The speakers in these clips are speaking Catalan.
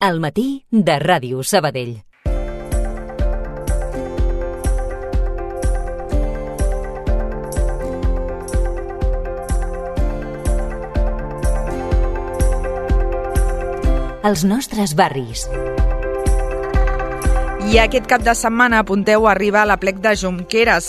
Al matí de Ràdio Sabadell. Els nostres barris. I aquest cap de setmana, apunteu, arriba a l'Aplec de Jonqueres,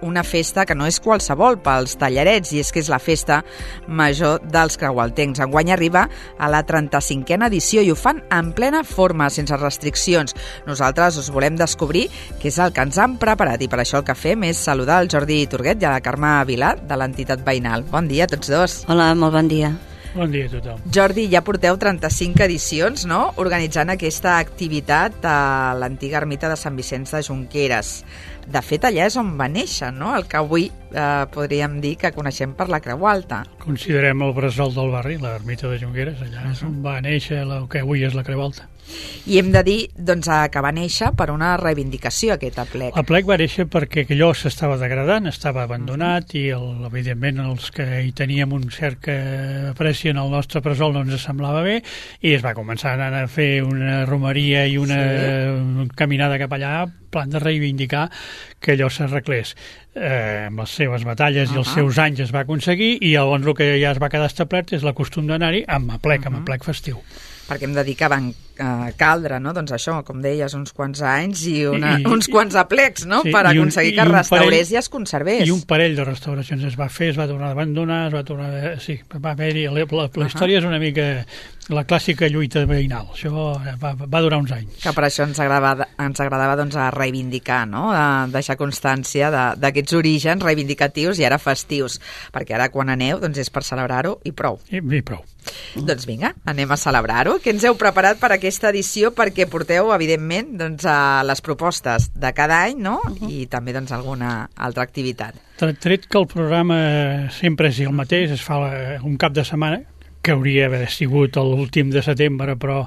una festa que no és qualsevol pels tallarets, i és que és la festa major dels creualtencs. Enguany arriba a la 35a edició i ho fan en plena forma, sense restriccions. Nosaltres us volem descobrir què és el que ens han preparat, i per això el que fem és saludar el Jordi Turguet i a la Carme Vilà, de l'entitat veïnal. Bon dia a tots dos. Hola, molt bon dia. Bon dia a tothom. Jordi, ja porteu 35 edicions, no?, organitzant aquesta activitat a l'antiga ermita de Sant Vicenç de Jonqueres. De fet, allà és on va néixer, no?, el que avui podríem dir que coneixem per la Creu Alta. Considerem el bressol del barri, l'ermita de Jonqueres, allà és on va néixer el que avui és la Creu Alta. I hem de dir, doncs, que va néixer per una reivindicació, aquest aplec. L'aplec va néixer perquè allò s'estava degradant, estava abandonat, i evidentment els que hi teníem un cert apreci en el nostre bressol no ens semblava bé, i es va començar a anar a fer una romeria i una caminada cap allà, plan de reivindicar que allò s'arreglés. Amb les seves batalles i els seus anys es va aconseguir, i llavors el que ja es va quedar establert és la costum d'anar-hi amb aplec festiu. Perquè hem de dir que van caldre, no?, doncs això, com deies, uns quants anys i uns quants aplecs, no?, sí, per aconseguir que es restaurés i es conservés. I un parell de restauracions es va fer, es va tornar a abandonar, sí, va haver-hi... La història és una mica la clàssica lluita veïnal. Això va durar uns anys. Que per això ens agradava doncs, a reivindicar, no?, a deixar constància d'aquests orígens reivindicatius i ara festius, perquè ara quan aneu doncs és per celebrar-ho i prou. I prou. Doncs vinga, anem a celebrar-ho. Què ens heu preparat per aquesta edició? Perquè porteu, evidentment, doncs, les propostes de cada any, no?, i també doncs, alguna altra activitat. Tret que el programa sempre és el mateix, es fa un cap de setmana, que hauria d'haver sigut l'últim de setembre, però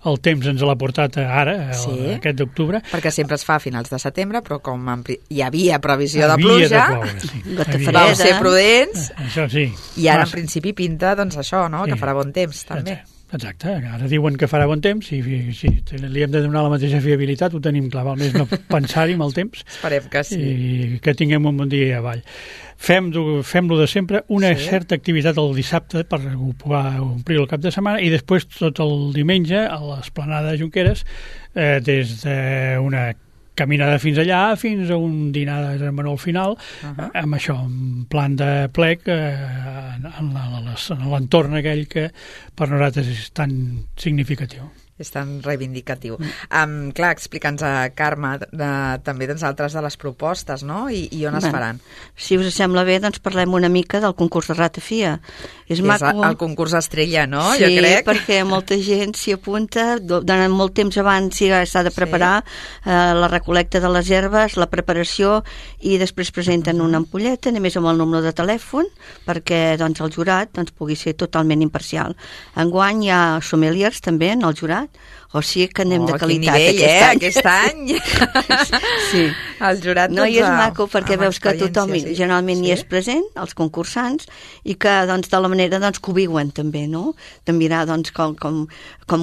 el temps ens l'ha portat ara, aquest d'octubre. Perquè sempre es fa a finals de setembre, però com hi havia previsió de pluja, vau ser prudents, això sí. I ara en principi pinta doncs això, no?, que farà bon temps també. Exacte, ara diuen que farà bon temps i si li hem de donar la mateixa fiabilitat ho tenim clar, val més no pensar-hi amb el temps. Esperem que sí. I que tinguem un bon dia avall. Fem-lo de sempre, una certa activitat el dissabte per omplir el cap de setmana, i després tot el diumenge a l'esplanada de Jonqueres, des d'una caminada fins allà, fins a un dinar de menú al final, amb això, un plan de plec en l'entorn aquell que per nosaltres és tan significatiu. És tan reivindicatiu. Clar, explica'ns, Carme, també doncs, altres de les propostes, no?, i on es faran. Si us sembla bé, doncs parlem una mica del concurs de ratafia. És el concurs estrella, no?, sí, jo crec. Sí, perquè molta gent s'hi apunta, durant molt temps abans s'ha de preparar la recol·lecta de les herbes, la preparació, i després presenten una ampolleta, només amb el número de telèfon, perquè doncs, el jurat pugui ser totalment imparcial. Enguany hi ha sommeliers també en el jurat, o sigui que anem de qualitat aquest any. Sí. El jurat, no, i és maco perquè veus que tothom generalment hi és present, els concursants, i que doncs, de la manera que ho viuen també, no? De mirar doncs, com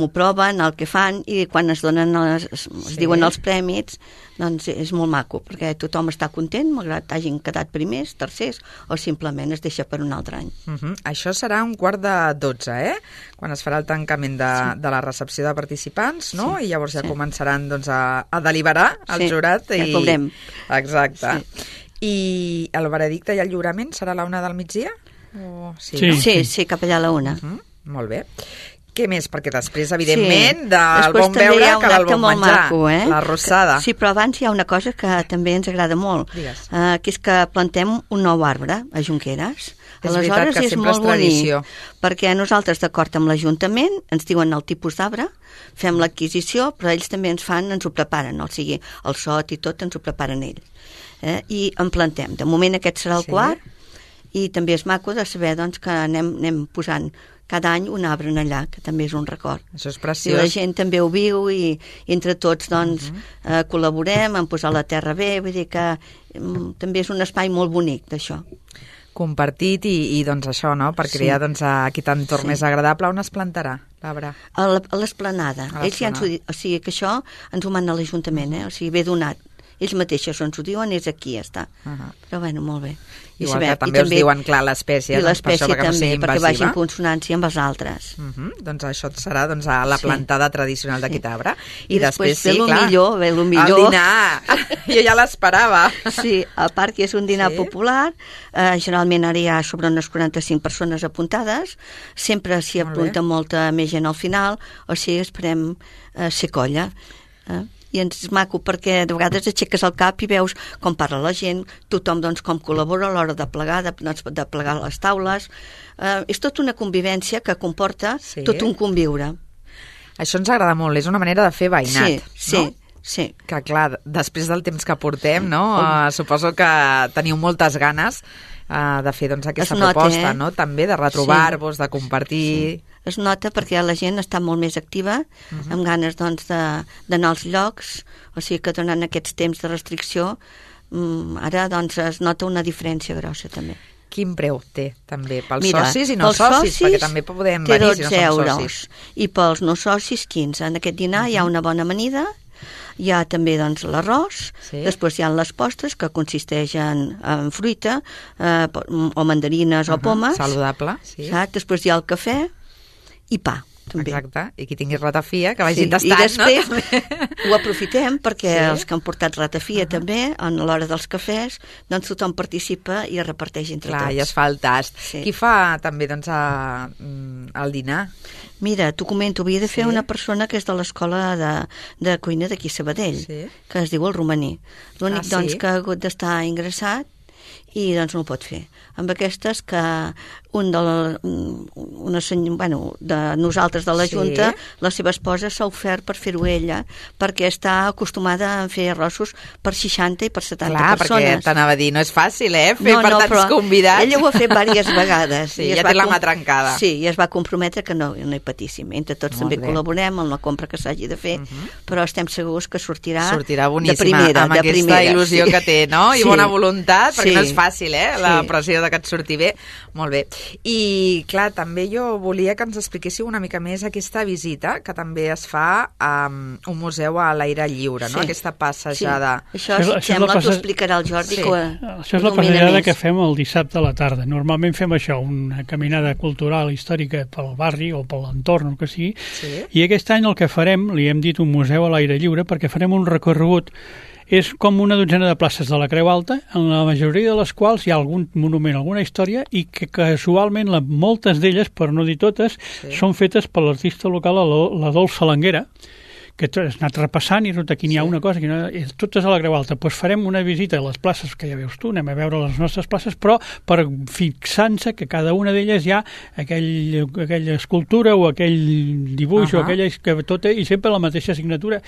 ho proven, el que fan, i quan es donen es diuen els prèmits, doncs és molt maco, perquè tothom està content, malgrat hagin quedat primers, tercers, o simplement es deixa per un altre any. Això serà 11:45, quan es farà el tancament de la recepció de participants, no? I llavors ja començaran doncs, a deliberar el jurat. Ja ho veurem. Exacte. I el veredicte i el lliurament serà a la 1 del migdia? Sí, cap allà a la 1. Molt bé. Què més? Perquè després, evidentment, del bon veure cal el bon menjar, la rossada. Sí, però abans hi ha una cosa que també ens agrada molt, que és que plantem un nou arbre a Jonqueres. És veritat que sempre és tradició. Perquè nosaltres, d'acord amb l'Ajuntament, ens diuen el tipus d'arbre, fem l'adquisició, però ells també ens ho preparen, o sigui, el sot i tot ens ho preparen ells. I en plantem. De moment aquest serà el quart, i també és maco de saber doncs, que anem posant cada any un arbre allà, que també és un record. Això és preciós. I la gent també ho viu, i entre tots doncs, col·laborem en posar la terra bé, vull dir que també és un espai molt bonic d'això. Compartit i doncs això, no?, per crear doncs, aquest entorn més agradable. On es plantarà l'arbre? A l'esplanada. Ells ja ens ho diuen, o sigui que això ens ho mana l'Ajuntament, o sigui, ve donat. Ells mateixos ens ho diuen, és aquí, ja està. Però bueno, molt bé. Igual que també us diuen, clar, l'espècie, i l'espècie per això, també, no perquè vagi en consonància amb els altres. Doncs això serà a la plantada tradicional d'aquest arbre. I després ve el millor. El dinar! Jo ja l'esperava. Sí, a part que és un dinar popular, generalment ara hi ha sobre unes 45 persones apuntades, sempre s'hi apunta molta més gent al final, o sigui, esperem ser colla. I és maco perquè de vegades aixeques el cap i veus com parla la gent, tothom doncs com col·labora a l'hora de plegar, de plegar les taules. És tota una convivència que comporta tot un conviure. Això ens agrada molt, és una manera de fer veïnat, no? Sí. Que clar, després del temps que portem, no? Suposo que teniu moltes ganes de fer aquesta proposta, no? També de retrobar-vos, de compartir... Sí. Es nota perquè la gent està molt més activa, amb ganes d'anar als llocs, o sigui que durant aquests temps de restricció ara es nota una diferència grossa també. Quin preu té també pels socis i no socis? Perquè també podem venir si no som socis. I pels no socis 15. En aquest dinar hi ha una bona amanida, hi ha també l'arròs, després hi ha les postres que consisteixen en fruita o mandarines o pomes. Saludable, sí. Després hi ha el cafè i pa, també. Exacte, i qui tingui ratafia, que vagin tastant, no? I després ho aprofitem perquè els que han portat ratafia també, a l'hora dels cafès, doncs tothom participa i es reparteix entre tots. Clar, i es fa el tast. Qui fa també el dinar? Mira, t'ho comento, havia de fer una persona que és de l'escola de cuina d'aquí a Sabadell, que es diu el Romaní. L'únic que ha hagut d'estar ingressat i doncs no ho pot fer. Amb aquestes que de nosaltres de la Junta, la seva esposa s'ha ofert per fer-ho ella, perquè està acostumada a fer arrossos per 60 i per 70 persones. Clar, perquè t'anava a dir, no és fàcil, fer per tants convidats. Ella ho ha fet diverses vegades. Sí, ja té la mà trencada. Sí, i es va comprometre que no hi patíssim. Entre tots també col·laborem en la compra que s'hagi de fer, però estem segurs que sortirà boníssima, de primera. Amb aquesta il·lusió que té, no? I bona voluntat, perquè no és fàcil, la pressió de que et surti bé. Molt bé. I, clar, també jo volia que ens expliquéssiu una mica més aquesta visita que també es fa a un museu a l'aire lliure, no? Aquesta passejada. Això sembla que t'ho explicarà el Jordi. Això és la passejada que fem el dissabte a la tarda. Normalment fem això, una caminada cultural històrica pel barri o per l'entorn, el que sigui, i aquest any el que farem, li hem dit un museu a l'aire lliure, perquè farem un recorregut. És com una dotzena de places de la Creu Alta, en la majoria de les quals hi ha algun monument, alguna història, i que casualment moltes d'elles, per no dir totes, són fetes per l'artista local, la Dolça Salanguera, que has anat repassant i aquí n'hi ha una cosa, totes a la Creu Alta. Doncs farem una visita a les places que ja veus tu, anem a veure les nostres places, però per fixar-se que cada una d'elles hi ha aquella escultura o aquell dibuix o aquella que tot i sempre la mateixa signatura,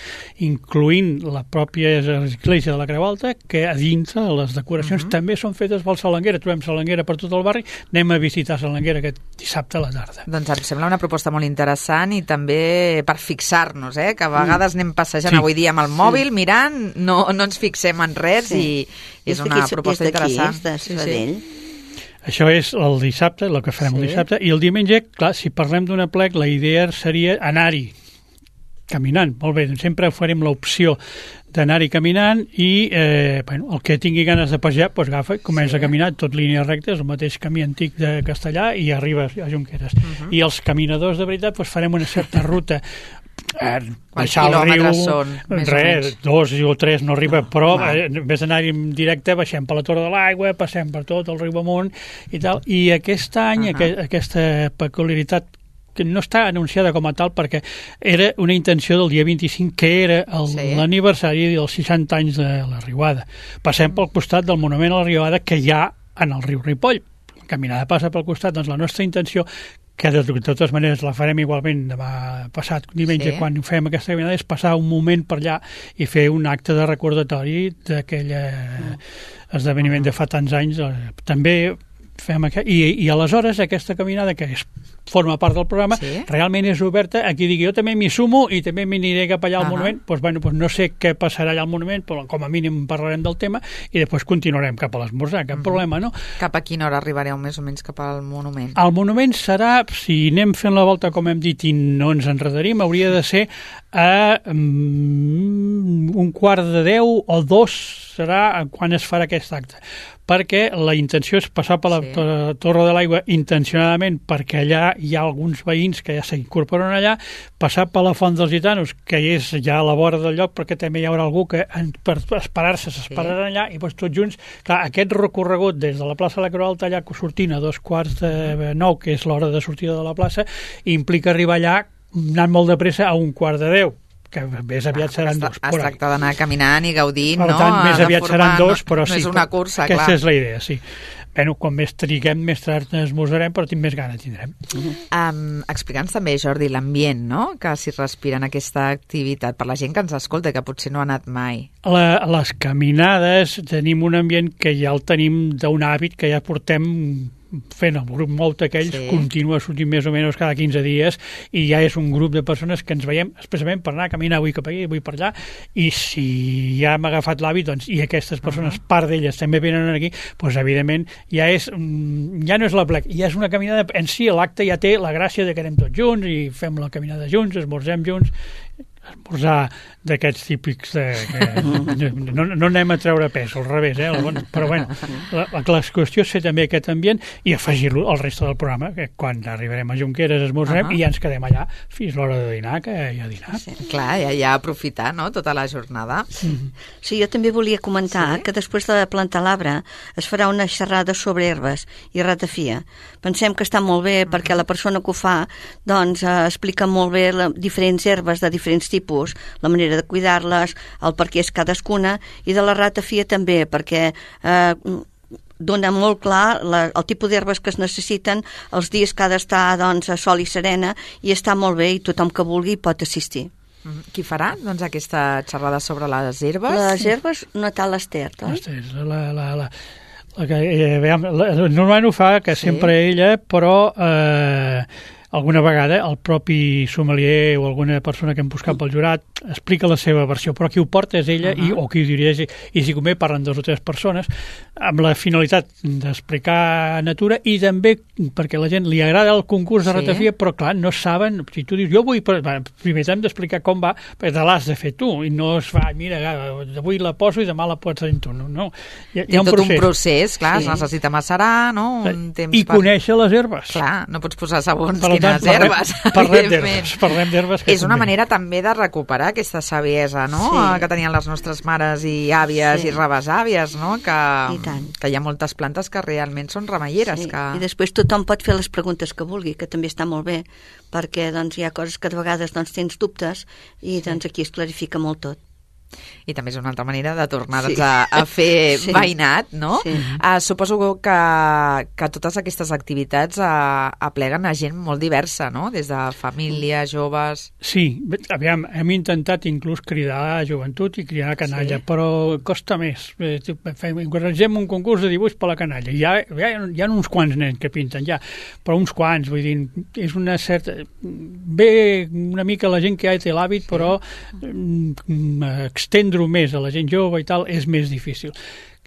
incloent la pròpia església de la Creu Alta, que a dins les decoracions també són fetes pel Salanguera. Trobem Salanguera per tot el barri, anem a visitar Salanguera aquest dissabte a la tarda. Doncs em sembla una proposta molt interessant i també per fixar-nos, que a vegades anem passejant avui dia amb el mòbil, mirant, no ens fixem en res i és una proposta interessant. És de Sabadell. Això és el dissabte, el que farem el dissabte, i el diumenge, clar, si parlem d'un aplec, la idea seria anar-hi caminant. Molt bé, doncs sempre farem l'opció d'anar-hi caminant i el que tingui ganes de passejar agafa i comença a caminar tot línia recta, és el mateix camí antic de Castellà i arriba a Junqueres. I els caminadors de veritat farem una certa ruta, baixar el riu, són, 2 o 3 no arriba, però en vez d'anar-hi en directe baixem per la Torre de l'Aigua, passem per tot el riu amunt i tal, i aquest any aquesta peculiaritat que no està anunciada com a tal perquè era una intenció del dia 25 que era l'aniversari dels 60 anys de la Riuada. Passem pel costat del monument a la Riuada que hi ha en el riu Ripoll. La caminada passa pel costat, doncs la nostra intenció, que de totes maneres la farem igualment demà passat diumenge quan fem aquesta caminada, és passar un moment per allà i fer un acte de recordatori d'aquell esdeveniment de fa tants anys. També I aleshores aquesta caminada que forma part del programa realment és oberta a qui digui jo també m'hi sumo i també m'aniré cap allà al monument. Doncs no sé què passarà allà al monument, però com a mínim parlarem del tema i després continuarem cap a l'esmorzar, cap problema, no? Cap a quina hora arribareu més o menys cap al monument? El monument serà, si anem fent la volta com hem dit i no ens enredarim, hauria de ser a 11:45 o 2 serà quan es farà aquest acte, perquè la intenció és passar per la Torre de l'Aigua intencionadament, perquè allà hi ha alguns veïns que ja s'incorporen allà, passar per la Font dels Gitanos, que és ja a la vora del lloc, perquè també hi haurà algú que per esperar-se s'esperaran allà, i doncs tots junts, clar, aquest recorregut des de la plaça de la Creu Alta allà sortint a 8:45, que és l'hora de sortida de la plaça, implica arribar allà anant molt de pressa a 11:45, que més aviat seran 2. Es tracta d'anar caminant i gaudint, no? Per tant, més aviat seran 2, però sí. No és una cursa, aquesta és la idea, sí. Bueno, quan més triguem, més tard esmorzarem, però més gana tindrem. Explica'ns també, Jordi, l'ambient, no?, que s'hi respira en aquesta activitat, per la gent que ens escolta, que potser no ha anat mai. Les caminades tenim un ambient que ja el tenim d'un hàbit que ja portem fent el grup molt aquells, continua sortint més o menys cada 15 dies i ja és un grup de persones que ens veiem expressament per anar a caminar avui cap aquí, avui per allà, i si ja hem agafat l'hàbit, doncs, i aquestes persones, part d'elles també venen aquí, doncs evidentment ja no és la plec, ja és una caminada en si, l'acte ja té la gràcia de que anem tots junts i fem la caminada junts, esmorzem junts, esmorzar d'aquests típics no anem a treure pes, al revés, però bueno, la qüestió és fer també aquest ambient i afegir-lo al reste del programa, que quan arribarem a Junqueras esmorzarem i ja ens quedem allà fins l'hora de dinar, que hi ha dinar. Clar, ja aprofitar, no?, tota la jornada. Sí, jo també volia comentar que després de plantar l'arbre es farà una xerrada sobre herbes i ratafia. Pensem que està molt bé perquè la persona que ho fa doncs explica molt bé diferents herbes de diferents tipus, la manera de cuidar-les, el per què és cadascuna, i de la ratafia també, perquè dona molt clar el tipus d'herbes que es necessiten els dies que ha d'estar doncs, a sol i serena, i està molt bé i tothom que vulgui pot assistir. Qui farà doncs, aquesta xerrada sobre les herbes? Les herbes, Natal Ester, oi? Normalment ho fa, que sempre ella, però alguna vegada el propi sommelier o alguna persona que hem buscat pel jurat explica la seva versió, però qui ho porta és ella o qui ho dirigeix, i si convé parlen 2 o 3 persones amb la finalitat d'explicar natura i també perquè a la gent li agrada el concurs de ratafia, però clar, no saben, si tu dius jo vull, primer hem d'explicar com va, perquè te l'has de fer tu i no es fa, mira, avui la poso i demà la pots fer tu, no. Hi ha tot un procés, clar, es necessita macerar, no? Un temps i conèixer les herbes. Clar, no pots posar segons quines herbes. Parlem d'herbes. És una manera també de recuperar aquesta saviesa, no?, que tenien les nostres mares i àvies i rebesàvies, no?, que hi ha moltes plantes que realment són remeieres. I després tothom pot fer les preguntes que vulgui, que també està molt bé, perquè doncs, hi ha coses que de vegades doncs, tens dubtes i doncs, aquí es clarifica molt tot. I també és una altra manera de tornar a fer veïnat, no? Suposo que totes aquestes activitats apleguen a gent molt diversa, no?, des de família, joves... Sí, aviam, hem intentat inclús cridar a joventut i cridar a canalla, però costa més. Encoratgem un concurs de dibuix per la canalla. Hi ha uns quants nens que pinten ja, però uns quants, vull dir, és una certa... Ve una mica la gent que ja té l'hàbit, però estendre-ho més a la gent jove i tal és més difícil.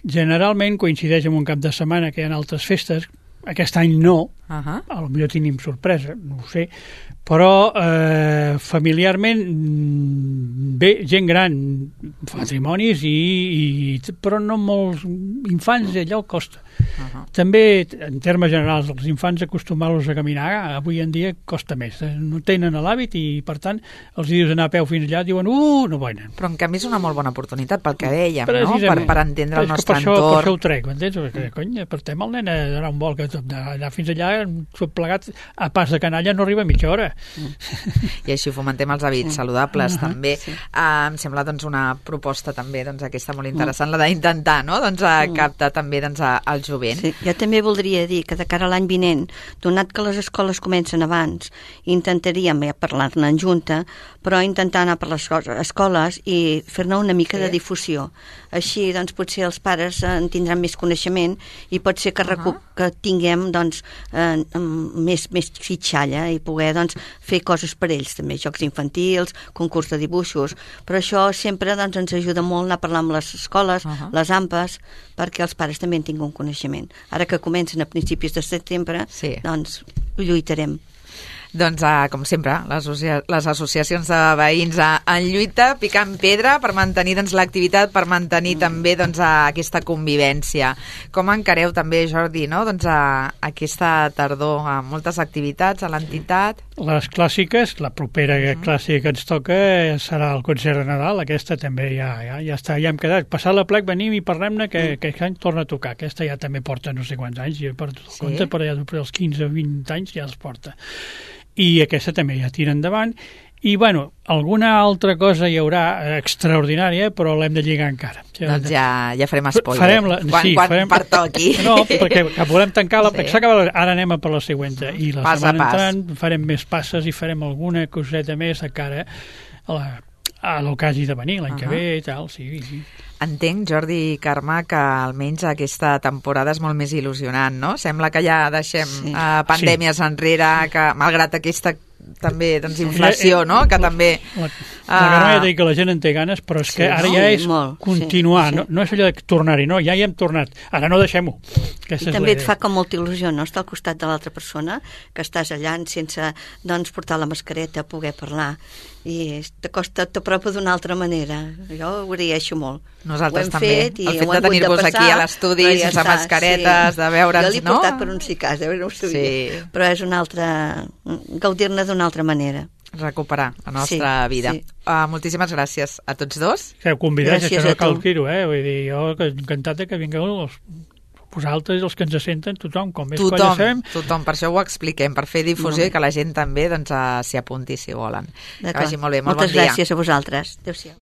Generalment coincideix amb un cap de setmana que hi ha altres festes, aquest any no, potser tenim sorpresa, no ho sé, però familiarment bé, gent gran, matrimonis però no molts infants, allò costa. També, en termes generals, els infants acostumar-los a caminar avui en dia costa més, no tenen l'hàbit i per tant els dius anar a peu fins allà diuen no venen. Però en canvi és una molt bona oportunitat pel que dèiem, no?, per entendre el nostre entorn. Per això ho trec, m'entens? Perquè, cony, portem el nen a donar un vol, que d'anar fins allà tot plegat a pas de canalla no arriba a mitja hora. I així fomentem els hàbits saludables també. Em sembla doncs una proposta també aquesta molt interessant, la d'intentar, no?, captar també els jovent. Sí, jo també voldria dir que de cara a l'any vinent, donat que les escoles comencen abans, intentaríem parlar-ne en junta, però intentar anar per les escoles i fer-ne una mica de difusió. Així, doncs, potser els pares en tindran més coneixement i pot ser que, que tinguem doncs, més fitxalla i poder doncs, fer coses per ells, també, jocs infantils, concurs de dibuixos, però això sempre doncs, ens ajuda molt a parlar amb les escoles, les AMPAs, perquè els pares també en tinguin un coneixement. Ara que comencen a principis de setembre, doncs ho lluitarem. Doncs, com sempre, les associacions de veïns en lluita, picant pedra per mantenir l'activitat, per mantenir també aquesta convivència. Com encareu també, Jordi, aquesta tardor amb moltes activitats a l'entitat? Les clàssiques, la propera clàssica que ens toca serà el concert de Nadal, aquesta també ja està, ja hem quedat. Passat la plec venim i parlem-ne que aquest any torna a tocar. Aquesta ja també porta no sé quants anys, jo per tot compte, però ja per els 15 o 20 anys ja els porta. I aquesta també ja tira endavant. I, bueno, alguna altra cosa hi haurà extraordinària, però l'hem de lligar encara. Doncs ja farem spoiler. Quan pertoqui. No, perquè volem tancar la... Ara anem a per la següent. I la setmana entrant farem més passes i farem alguna coseta més a cara a l'ocasió de venir l'any que ve i tal, sí. Entenc, Jordi i Carme, que almenys aquesta temporada és molt més il·lusionant, no? Sembla que ja deixem pandèmies enrere, que malgrat aquesta també inflació, no? Que també... La Carme ja dic que la gent en té ganes, però és que ara ja és continuar, no és allò de tornar-hi, no, ja hi hem tornat, ara no deixem-ho. I també et fa com molta il·lusió, no?, estar al costat de l'altra persona, que estàs allà sense, doncs, portar la mascareta, poder parlar, i t'apropa d'una altra manera. Jo ho agraeixo molt. Nosaltres també. El fet de tenir-vos aquí a l'estudi, sense mascaretes, de veure'ns, no? Jo l'he portat per un cas, no ho sabia. Però és una altra... gaudir-ne d'una altra manera. Recuperar la nostra vida. Moltíssimes gràcies a tots dos. Que ho convideix, que no cal dir-ho, vull dir, jo encantat que vingueu vosaltres, els que ens senten, tothom, com més colla sabem. Tothom, per això ho expliquem, per fer difusió i que la gent també s'hi apunti si volen. Que vagi molt bé, molt bon dia. Moltes gràcies a vosaltres. Adéu-siau.